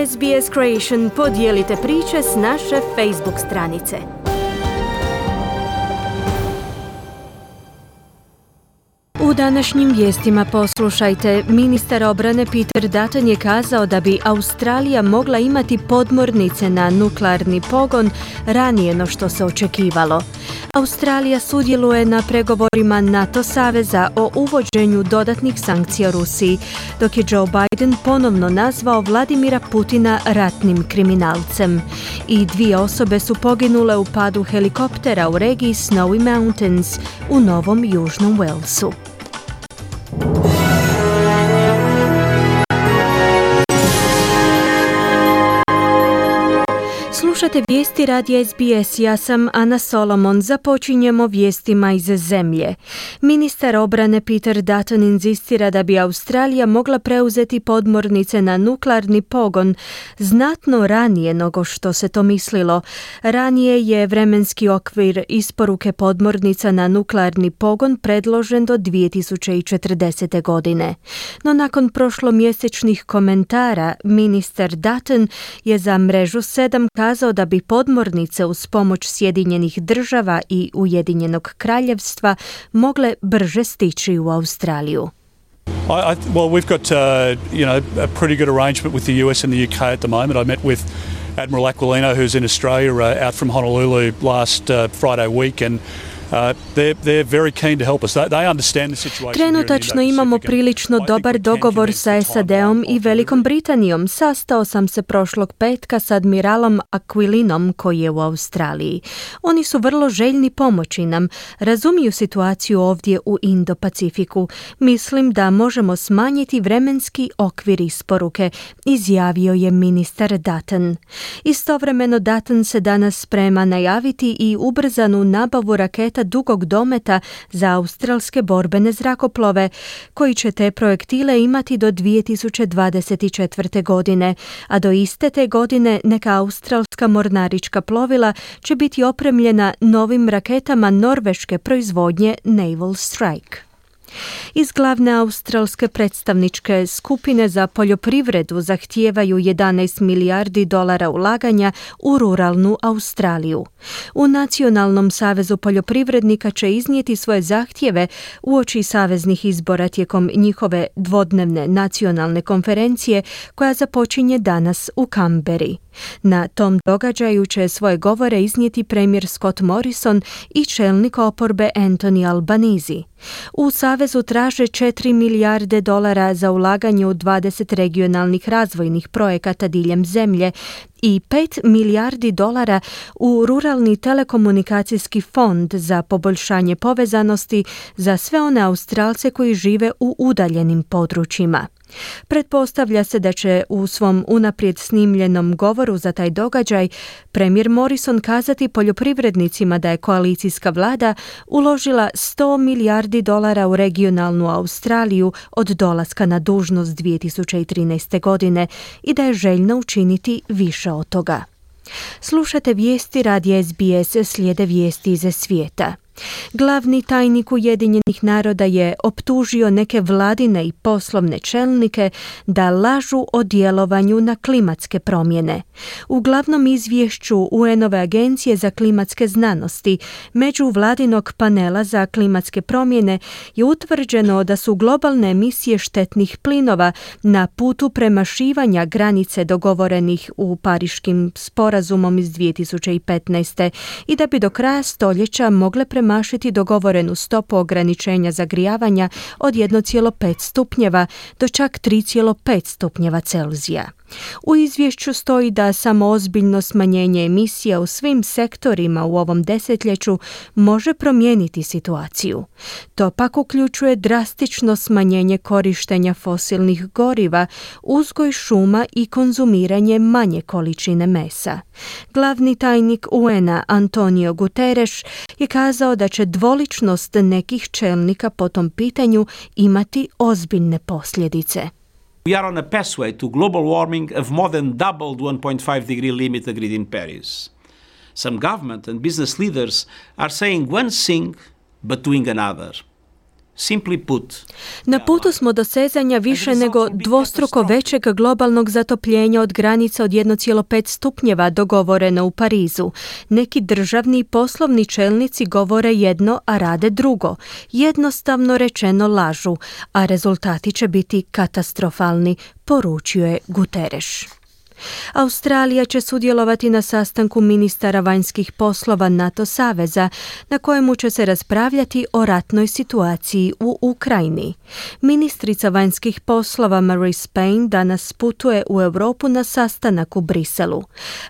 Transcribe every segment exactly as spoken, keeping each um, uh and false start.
S B S Creation podijelite priče s naše Facebook stranice. U današnjim vijestima poslušajte, ministar obrane Peter Dutton je kazao da bi Australija mogla imati podmornice na nuklearni pogon ranije no što se očekivalo. Australija sudjeluje na pregovorima NATO saveza o uvođenju dodatnih sankcija Rusiji, dok je Joe Biden ponovno nazvao Vladimira Putina ratnim kriminalcem. I dvije osobe su poginule u padu helikoptera u regiji Snowy Mountains u Novom Južnom Walesu. Slušate vijesti radija S B S, ja sam Ana Solomon. Započinjemo vijestima iz zemlje. Ministar obrane Peter Dutton inzistira da bi Australija mogla preuzeti podmornice na nuklearni pogon znatno ranije nego što se to mislilo. Ranije je vremenski okvir isporuke podmornica na nuklearni pogon predložen do dvije tisuće četrdesete. godine. No nakon prošlomjesečnih komentara, ministar Dutton je za mrežu sedam kazao da bi podmornice uz pomoć Sjedinjenih država i Ujedinjenog kraljevstva mogle brže stići u Australiju. I, I, well, we've got uh, you know a pretty good arrangement with the U S and the U K at the moment. I met with Admiral Aquilino, who's in Australia, uh, out from Honolulu last uh, Friday week, and Uh, they're, they're very keen to help us. They, they understand the situation. Trenutačno imamo prilično dobar dogovor sa S A D-om i Velikom Britanijom. Sastao sam se prošlog petka s admiralom Aquilinom koji je u Australiji. Oni su vrlo željni pomoći nam. Razumiju situaciju ovdje u Indo-Pacifiku. Mislim da možemo smanjiti vremenski okvir isporuke, izjavio je ministar Dutton. Istovremeno Dutton se danas sprema najaviti i ubrzanu nabavu raketa dugog dometa za australske borbene zrakoplove, koji će te projektile imati do dvije tisuće dvadeset četvrte. godine, a do iste te godine neka australska mornarička plovila će biti opremljena novim raketama norveške proizvodnje Naval Strike. Iz glavne australske predstavničke skupine za poljoprivredu zahtijevaju jedanaest milijardi dolara ulaganja u ruralnu Australiju. U Nacionalnom savezu poljoprivrednika će iznijeti svoje zahtjeve uoči saveznih izbora tijekom njihove dvodnevne nacionalne konferencije koja započinje danas u Canberri. Na tom događaju će svoje govore iznijeti premijer Scott Morrison i čelnik oporbe Anthony Albanese. U savezu traže četiri milijarde dolara za ulaganje u dvadeset regionalnih razvojnih projekata diljem zemlje i pet milijardi dolara u ruralni telekomunikacijski fond za poboljšanje povezanosti za sve one Australce koji žive u udaljenim područjima. Pretpostavlja se da će u svom unaprijed snimljenom govoru za taj događaj premijer Morrison kazati poljoprivrednicima da je koalicijska vlada uložila sto milijardi dolara u regionalnu Australiju od dolaska na dužnost dvije tisuće trinaeste. godine i da je željna učiniti više od toga. Slušate vijesti radija S B S, slijede vijesti iz svijeta. Glavni tajnik Ujedinjenih naroda je optužio neke vladine i poslovne čelnike da lažu o djelovanju na klimatske promjene. U glavnom izvješću U N-ove agencije za klimatske znanosti međuvladinog panela za klimatske promjene je utvrđeno da su globalne emisije štetnih plinova na putu premašivanja granice dogovorenih u Pariškim sporazumom iz dvije tisuće petnaeste. i da bi do kraja stoljeća mogle premašiti mašiti dogovorenu stopu ograničenja zagrijavanja od jedan zarez pet stupnjeva do čak tri zarez pet stupnjeva Celzija. U izvješću stoji da samo ozbiljno smanjenje emisija u svim sektorima u ovom desetljeću može promijeniti situaciju. To pak uključuje drastično smanjenje korištenja fosilnih goriva, uzgoj šuma i konzumiranje manje količine mesa. Glavni tajnik U N-a Antonio Guterres je kazao da će dvoličnost nekih čelnika po tom pitanju imati ozbiljne posljedice. We are on a pathway to global warming of more than double the one point five degree limit agreed in Paris. Some government and business leaders are saying one thing but doing another. Simply put, Na putu smo do sezanja više nego dvostruko većeg globalnog zatopljenja od granica od jedan zarez pet stupnjeva dogovoreno u Parizu. Neki državni i poslovni čelnici govore jedno, a rade drugo. Jednostavno rečeno lažu, a rezultati će biti katastrofalni, poručio je Guterres. Australija će sudjelovati na sastanku ministara vanjskih poslova NATO saveza, na kojemu će se raspravljati o ratnoj situaciji u Ukrajini. Ministrica vanjskih poslova Marise Payne danas putuje u Europu na sastanak u Briselu.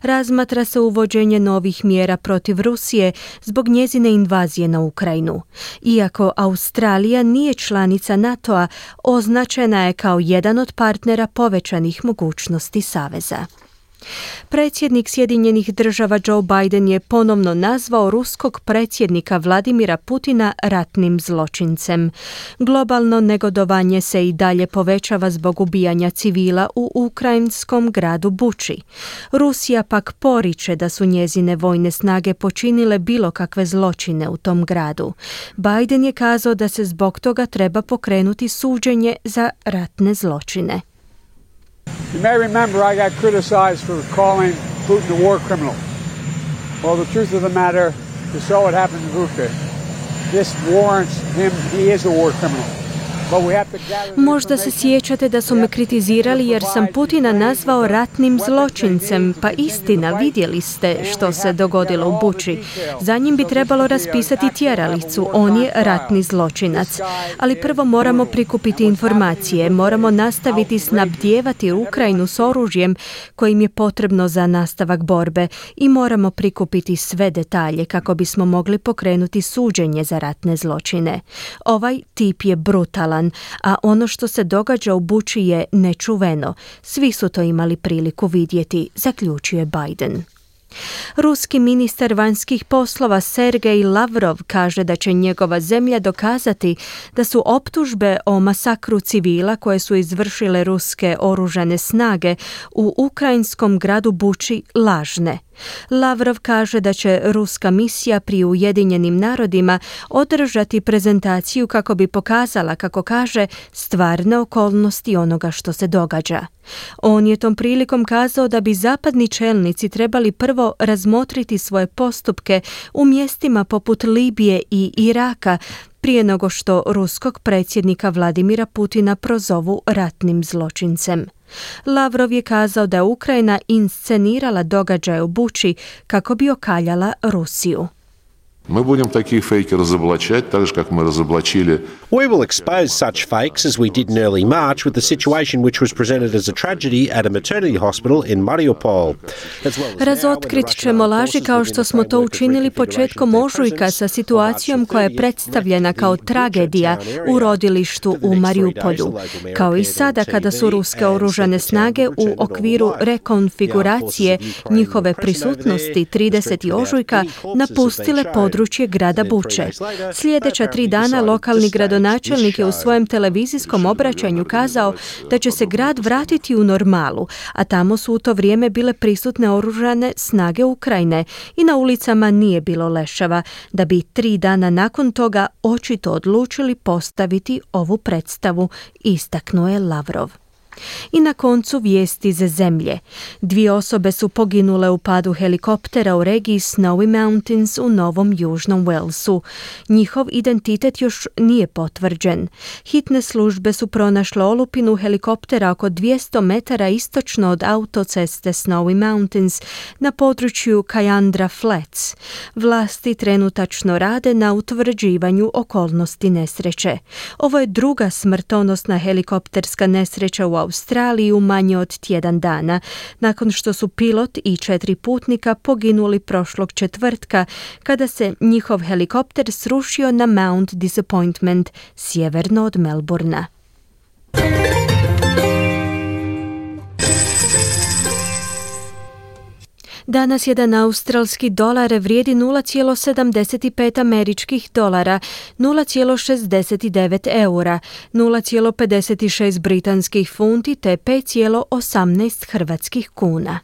Razmatra se uvođenje novih mjera protiv Rusije zbog njezine invazije na Ukrajinu. Iako Australija nije članica NATO-a, označena je kao jedan od partnera povećanih mogućnosti saveza. Predsjednik Sjedinjenih država Joe Biden je ponovno nazvao ruskog predsjednika Vladimira Putina ratnim zločincem. Globalno negodovanje se i dalje povećava zbog ubijanja civila u ukrajinskom gradu Buči. Rusija pak poriče da su njezine vojne snage počinile bilo kakve zločine u tom gradu. Biden je kazao da se zbog toga treba pokrenuti suđenje za ratne zločine. You may remember I got criticized for calling Putin a war criminal. Well, the truth of the matter is so what happened in Bucha. This warrants him, he is a war criminal. Možda se sjećate da su me kritizirali jer sam Putina nazvao ratnim zločincem, pa istina, vidjeli ste što se dogodilo u Buči. Za njim bi trebalo raspisati tjeralicu, on je ratni zločinac. Ali prvo moramo prikupiti informacije, moramo nastaviti snabdijevati Ukrajinu s oružjem kojim je potrebno za nastavak borbe i moramo prikupiti sve detalje kako bismo mogli pokrenuti suđenje za ratne zločine. Ovaj tip je brutalan, a ono što se događa u Buči je nečuveno. Svi su to imali priliku vidjeti, zaključuje Biden. Ruski ministar vanjskih poslova Sergej Lavrov kaže da će njegova zemlja dokazati da su optužbe o masakru civila koje su izvršile ruske oružane snage u ukrajinskom gradu Buči lažne. Lavrov kaže da će ruska misija pri Ujedinjenim narodima održati prezentaciju kako bi pokazala, kako kaže, stvarne okolnosti onoga što se događa. On je tom prilikom kazao da bi zapadni čelnici trebali prvo razmotriti svoje postupke u mjestima poput Libije i Iraka prije nego što ruskog predsjednika Vladimira Putina prozovu ratnim zločincem. Lavrov je kazao da je Ukrajina inscenirala događaje u Buči kako bi okaljala Rusiju. Мы будем таких фейков разоблачать, так же, как мы разоблачили. We will expose such fakes as we did in early March with the situation which was presented as a tragedy at a maternity hospital in Mariupol. Razotkrit ćemo laži kao što smo to učinili početkom ožujka sa situacijom koja je predstavljena kao tragedija u rodilištu u Mariupolju. Kao i sada kada su ruske oružane snage u okviru rekonfiguracije njihove prisutnosti tridesetog ožujka napustile područje područje grada Buče. Sljedeća tri dana lokalni gradonačelnik je u svojem televizijskom obraćanju kazao da će se grad vratiti u normalu, a tamo su u to vrijeme bile prisutne oružane snage Ukrajine i na ulicama nije bilo leševa, da bi tri dana nakon toga očito odlučili postaviti ovu predstavu, istaknuo je Lavrov. I na koncu vijesti iz zemlje. Dvije osobe su poginule u padu helikoptera u regiji Snowy Mountains u Novom Južnom Walesu. Njihov identitet još nije potvrđen. Hitne službe su pronašle olupinu helikoptera oko dvjesto metara istočno od autoceste Snowy Mountains na području Cayandra Flats. Vlasti trenutačno rade na utvrđivanju okolnosti nesreće. Ovo je druga smrtonosna helikopterska nesreća u Australiji u manje od tjedan dana, nakon što su pilot i četiri putnika poginuli prošlog četvrtka kada se njihov helikopter srušio na Mount Disappointment sjeverno od Melbourna. Danas jedan australski dolar vrijedi nula zarez sedamdeset pet američkih dolara, nula zarez šezdeset devet eura, nula zarez pedeset šest britanskih funti te pet zarez osamnaest hrvatskih kuna.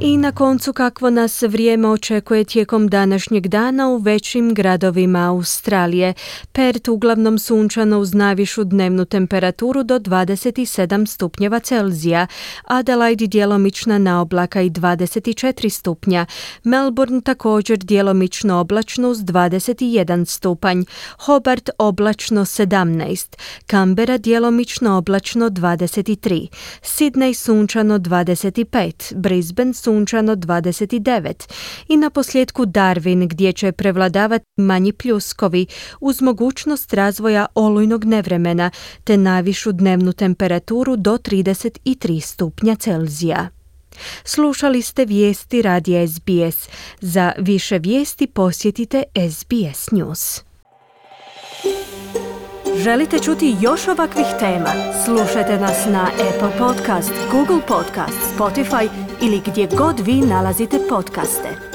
I na koncu kakvo nas vrijeme očekuje tijekom današnjeg dana u većim gradovima Australije. Perth uglavnom sunčano uz najvišu dnevnu temperaturu do dvadeset sedam stupnjeva Celzija, Adelaide djelomična naoblaka i dvadeset četiri stupnja, Melbourne također djelomično oblačno uz dvadeset jedan stupanj, Hobart oblačno sedamnaest, Canberra djelomično oblačno dvadeset tri, Sydney sunčano dvadeset pet, Brisbane sunčano dvadeset devet i na posljedku Darwin gdje će prevladavati manji pljuskovi uz mogućnost razvoja olujnog nevremena te najvišu dnevnu temperaturu do trideset tri stupnja Celzija. Slušali ste vijesti radija S B S. Za više vijesti posjetite S B S News. Želite čuti još ovakvih tema? Slušajte nas na Apple Podcast, Google Podcast, Spotify ili gdje god vi nalazite podcaste.